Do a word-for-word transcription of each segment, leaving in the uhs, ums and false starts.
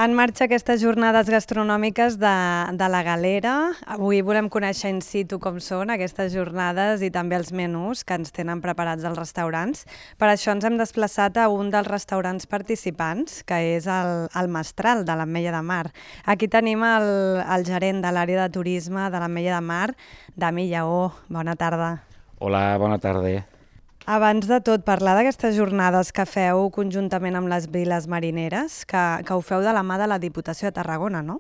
En marxa aquestes jornades gastronòmiques de, de la Galera. Avui volem conèixer in situ com són aquestes jornades i també els menús que ens tenen preparats els restaurants. Per això ens hem desplaçat a un dels restaurants participants, que és el, el Mestral de l'Ametlla de Mar. Aquí tenim el, el gerent de l'àrea de turisme de l'Ametlla de Mar, Dami Lleó. Bona tarda. Hola, bona tarda. Abans de tot, parlar d'aquestes jornades que feu conjuntament amb les viles marineres, que, que ho feu de la mà de la Diputació de Tarragona, no?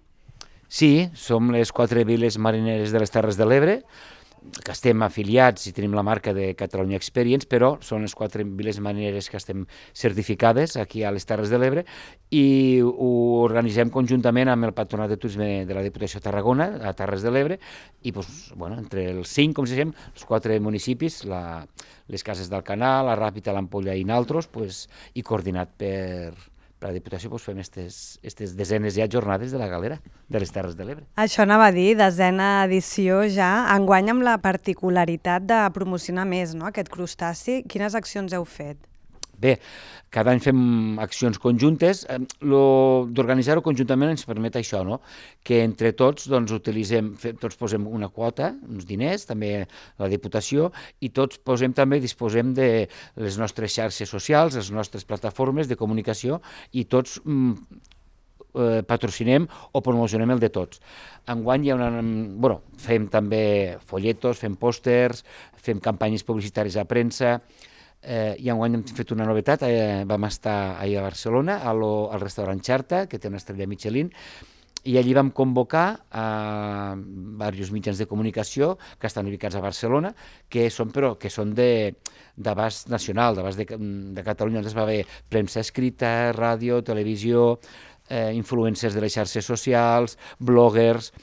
Sí, som les quatre viles marineres de les Terres de l'Ebre, que estem afiliats i tenim la marca de Catalunya Experience, però són les quatre viles marineres que estem certificades aquí a les Terres de l'Ebre i ho organitzem conjuntament amb el Patronat de Turisme de la Diputació de Tarragona, a Terres de l'Ebre, i doncs, bueno, entre els cinc, com si diguem, els quatre municipis, la, les Cases del Canal, la Ràpita, l'Ampolla i naltros, pues, i coordinat per... per la Diputació doncs, fem aquestes desenes ja jornades de la Galera, de les Terres de l'Ebre. Això anava a dir, desena edició ja, enguany amb la particularitat de promocionar més, no?, aquest crustaci. Quines accions heu fet? Bé, cada any fem accions conjuntes. D'organitzar-ho conjuntament ens permet això, no?, que entre tots doncs, utilitzem, tots posem una quota, uns diners, també la Diputació, i tots posem també, disposem de les nostres xarxes socials, les nostres plataformes de comunicació, i tots mm, eh, patrocinem o promocionem el de tots. Enguany hi ha una... Bueno, fem també folletos, fem pòsters, fem campanyes publicitàries a premsa. Eh, I enguany hem fet una novetat, eh, vam estar ahir a Barcelona, a lo, al restaurant Xarta, que té una estrella Michelin, i allí vam convocar a diversos mitjans de comunicació que estan ubicats a Barcelona, que són, però, que són d'abast nacional, d'abast de, de Catalunya. Ens va haver premsa escrita, ràdio, televisió, eh, influencers de les xarxes socials, bloggers,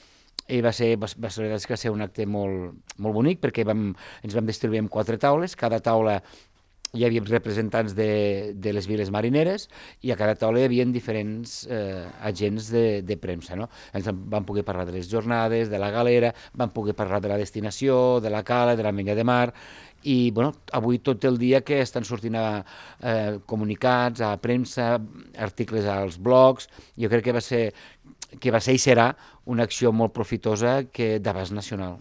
i va ser, va, va ser, va ser un acte molt, molt bonic, perquè vam, ens vam distribuir en quatre taules, cada taula hi havia representants de, de les viles marineres i a cada taula hi havia diferents eh, agents de, de premsa, no? Ens vam poder parlar de les jornades, de la Galera, vam poder parlar de la destinació, de la cala, de l'Ametlla de Mar, i bueno, avui tot el dia que estan sortint a, eh, comunicats, a premsa, articles als blogs. Jo crec que va ser, que va ser i serà una acció molt profitosa que d'abast nacional.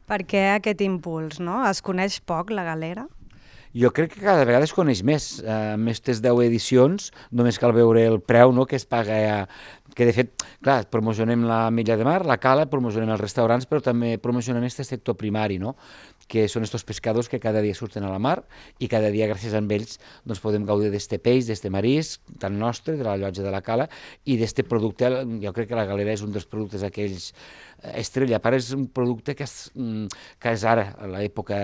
Per què aquest impuls, no? Es coneix poc la Galera? Jo crec que cada vegada es coneix més. En aquestes deu edicions només cal veure el preu, no?, que es paga, a... que de fet, clar, promocionem l'Ametlla de Mar, la cala, promocionem els restaurants, però també promocionem aquest sector primari, no?, que són aquests pescadors que cada dia surten a la mar i cada dia, gràcies a ells, doncs, podem gaudir d'este peix, d'este marisc, tan nostre, de la llotja de la cala, i d'este producte. Jo crec que la Galera és un dels productes aquells estrella. A part, és un producte que és, que és ara, a l'època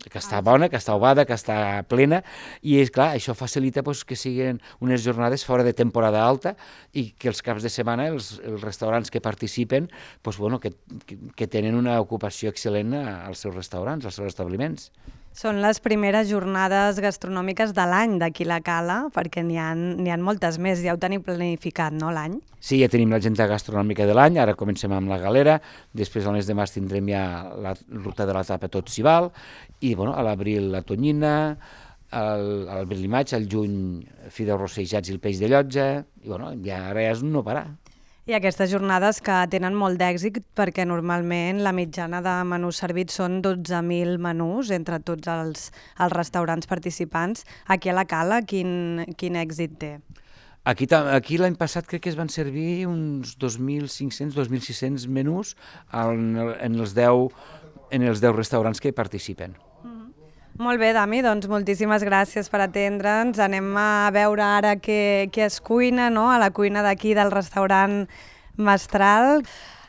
que està bona, que està ovada, que està plena, i és clar, això facilita doncs, que siguin unes jornades fora de temporada alta i que els caps de setmana els, els restaurants que participen doncs, bueno, que, que, que tenen una ocupació excel·lent als seus restaurants, als seus establiments. Són les primeres jornades gastronòmiques de l'any d'aquí la Cala, perquè n'hi ha, n'hi ha moltes més, ja ho teniu planificat, no, l'any? Sí, ja tenim l'agenda gastronòmica de l'any, ara comencem amb la Galera, després al mes de març tindrem ja la ruta de la tapa Tot s'hi val, i bueno, a l'abril la tonyina, al, a l'abril i maig, al juny fideus rossejats i el peix de llotja, i bueno, ja ara és no parar. I aquestes jornades que tenen molt d'èxit perquè normalment la mitjana de menús servits són dotze mil menús entre tots els, els restaurants participants. Aquí a la Cala quin, quin èxit té? Aquí, aquí l'any passat crec que es van servir uns dos mil cinc-cents, dos mil sis-cents menús en, en, els deu, en els deu restaurants que hi participen. Molt bé, Dami, doncs moltíssimes gràcies per atendre'ns. Anem a veure ara què, què es cuina, no?, a la cuina d'aquí del restaurant Mestral.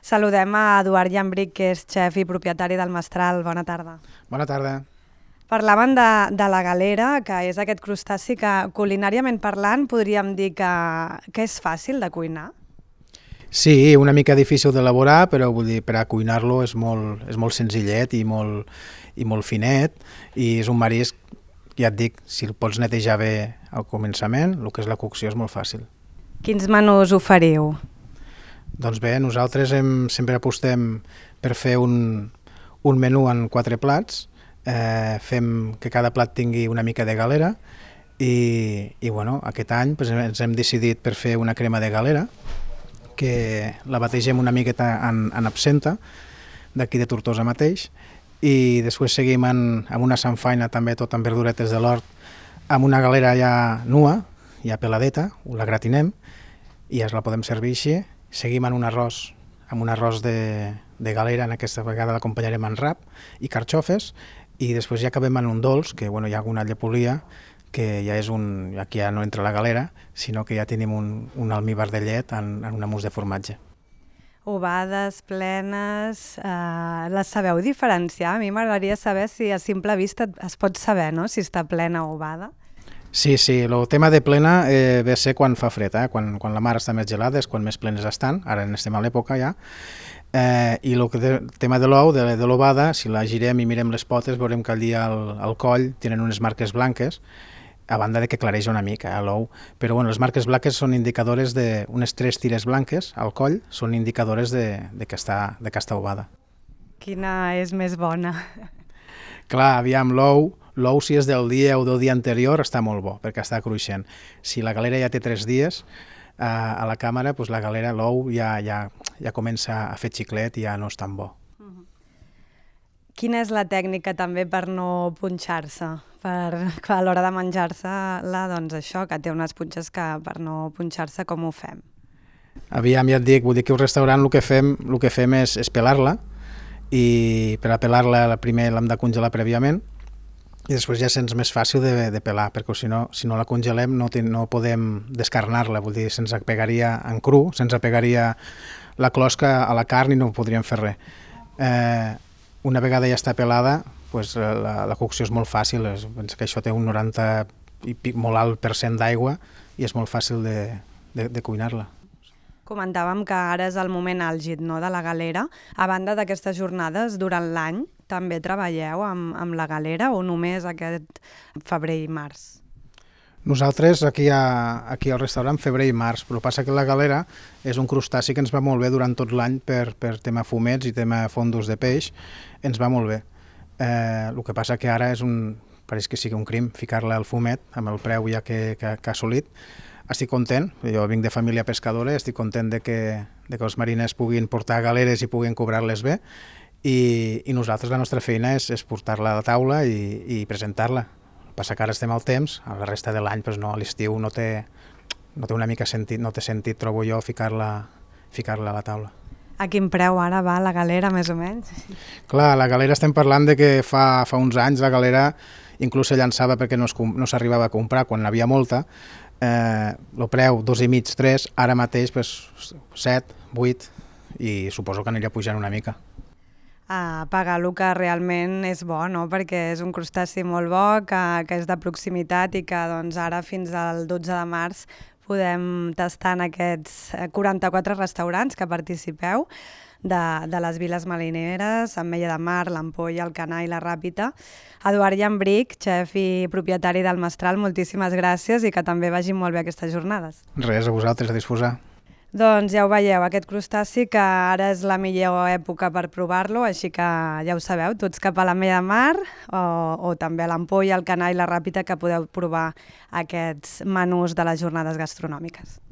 Saludem a Eduard Llambric, que és xef i propietari del Mestral. Bona tarda. Bona tarda. Parlaven de, de la Galera, que és aquest crustaci que culinàriament parlant podríem dir que, que és fàcil de cuinar. Sí, una mica difícil d'elaborar, però vull dir, per a cuinar-lo és molt, és molt senzillet i molt, i molt finet, i és un marisc, ja et dic, si el pots netejar bé al començament, el que és la cocció és molt fàcil. Quins menús oferiu? Doncs bé, nosaltres hem, sempre apostem per fer un, un menú en quatre plats, eh, fem que cada plat tingui una mica de galera, i, i bueno, aquest any pues, ens hem decidit per fer una crema de galera, que la bategem una miqueta en, en absenta, d'aquí de Tortosa mateix, i després seguim en, amb una samfaina també tot amb verduretes de l'hort, amb una galera ja nua, ja peladeta, la gratinem i ja la podem servir així. Seguim en un arròs, amb un arròs de, de galera, en aquesta vegada l'acompanyarem en rap i carxofes, i després ja acabem en un dolç, que bueno, hi ha alguna llepolia, que ja és un, aquí ja no entra la galera, sinó que ja tenim un, un almíbar de llet en, en una mousse de formatge. Ovades, plenes, eh, les sabeu diferenciar? A mi m'agradaria saber si a simple vista es pot saber, no?, si està plena o ovada. Sí, sí, el tema de plena eh, ve a ser quan fa fred, eh? quan, quan la mar està més gelada és quan més plenes estan, ara en estem a l'època ja, eh, i el que de, tema de l'ou, de, de l'ovada, si la girem i mirem les potes veurem que allí al, al coll tenen unes marques blanques, a banda de que clareja una mica eh, l'ou, però bueno, les marques blanques són indicadores de, unes tres tires blanques al coll, són indicadores de, de, que, està, de que està ovada. Quina és més bona? Clar, aviam, l'ou, l'ou si és del dia o del dia anterior està molt bo, perquè està cruixent. Si la galera ja té tres dies eh, a la càmera, doncs la galera, l'ou ja, ja, ja comença a fer xiclet i ja no és tan bo. Uh-huh. Quina és la tècnica també per no punxar-se? Per, a l'hora de menjar-se-la, doncs això, que té unes punxes que per no punxar-se, com ho fem? Aviam, ja et dic, vull dir que al restaurant el que fem, el que fem és, és pelar-la, i per a pelar-la primer l'hem de congelar prèviament i després ja se'ns més fàcil de, de pelar, perquè si no, si no la congelem no, ten, no podem descarnar-la, vull dir, se'ns apegaria en cru, se'ns apegaria la closca a la carn i no podríem fer res. Eh, una vegada ja està pelada, pues, la, la cocció és molt fàcil, és, penso que això té un noranta i pic, molt alt per cent d'aigua i és molt fàcil de, de, de cuinar-la. Comentàvem que ara és el moment àlgid, no?, de la galera. A banda d'aquestes jornades, durant l'any també treballeu amb, amb la galera o només aquest febrer i març? Nosaltres aquí, a, aquí al restaurant febrer i març, però passa que la galera és un crustaci que ens va molt bé durant tot l'any per, per tema fumets i tema fondos de peix, ens va molt bé. Eh, el que passa que ara és un, pareix que sigui un crim ficar-la al fumet amb el preu ja que, que, que ha assolit. Estic content, jo vinc de família pescadora, estic content de que, de que els mariners puguin portar galeres i puguin cobrar-les bé i, i nosaltres la nostra feina és, és portar-la a la taula i, i presentar-la. Passa que ara estem al temps, a la resta de l'any doncs no, a l'estiu no, té, no té una mica sentit, no té sentit, trobo jo, ficar-la ficar-la a la taula. A quin preu ara va la galera, més o menys? Clar, la galera estem parlant de que fa, fa uns anys la galera inclús se llançava perquè no, es, no s'arribava a comprar quan n'havia molta. Eh, el preu dos i mig, tres, ara mateix pues, set, vuit i suposo que anirà pujant una mica. A pagar el que realment és bo, no?, perquè és un crustaci molt bo, que, que és de proximitat i que doncs, ara fins al dotze de març podem tastar en aquests quaranta-quatre restaurants que participeu de, de les viles marineres, Ametlla de Mar, l'Ampolla, el Canà i la Ràpita. Eduard Llambrich, xef i propietari del Mestral, moltíssimes gràcies i que també vagin molt bé aquestes jornades. Res, a vosaltres, a disposar. Doncs ja ho veieu, aquest crustaci que ara és la millor època per provar-lo, així que ja ho sabeu, tots cap a l'Ametlla de Mar o, o també a l'Ampolla, el Canà i la Ràpita, que podeu provar aquests menús de les jornades gastronòmiques.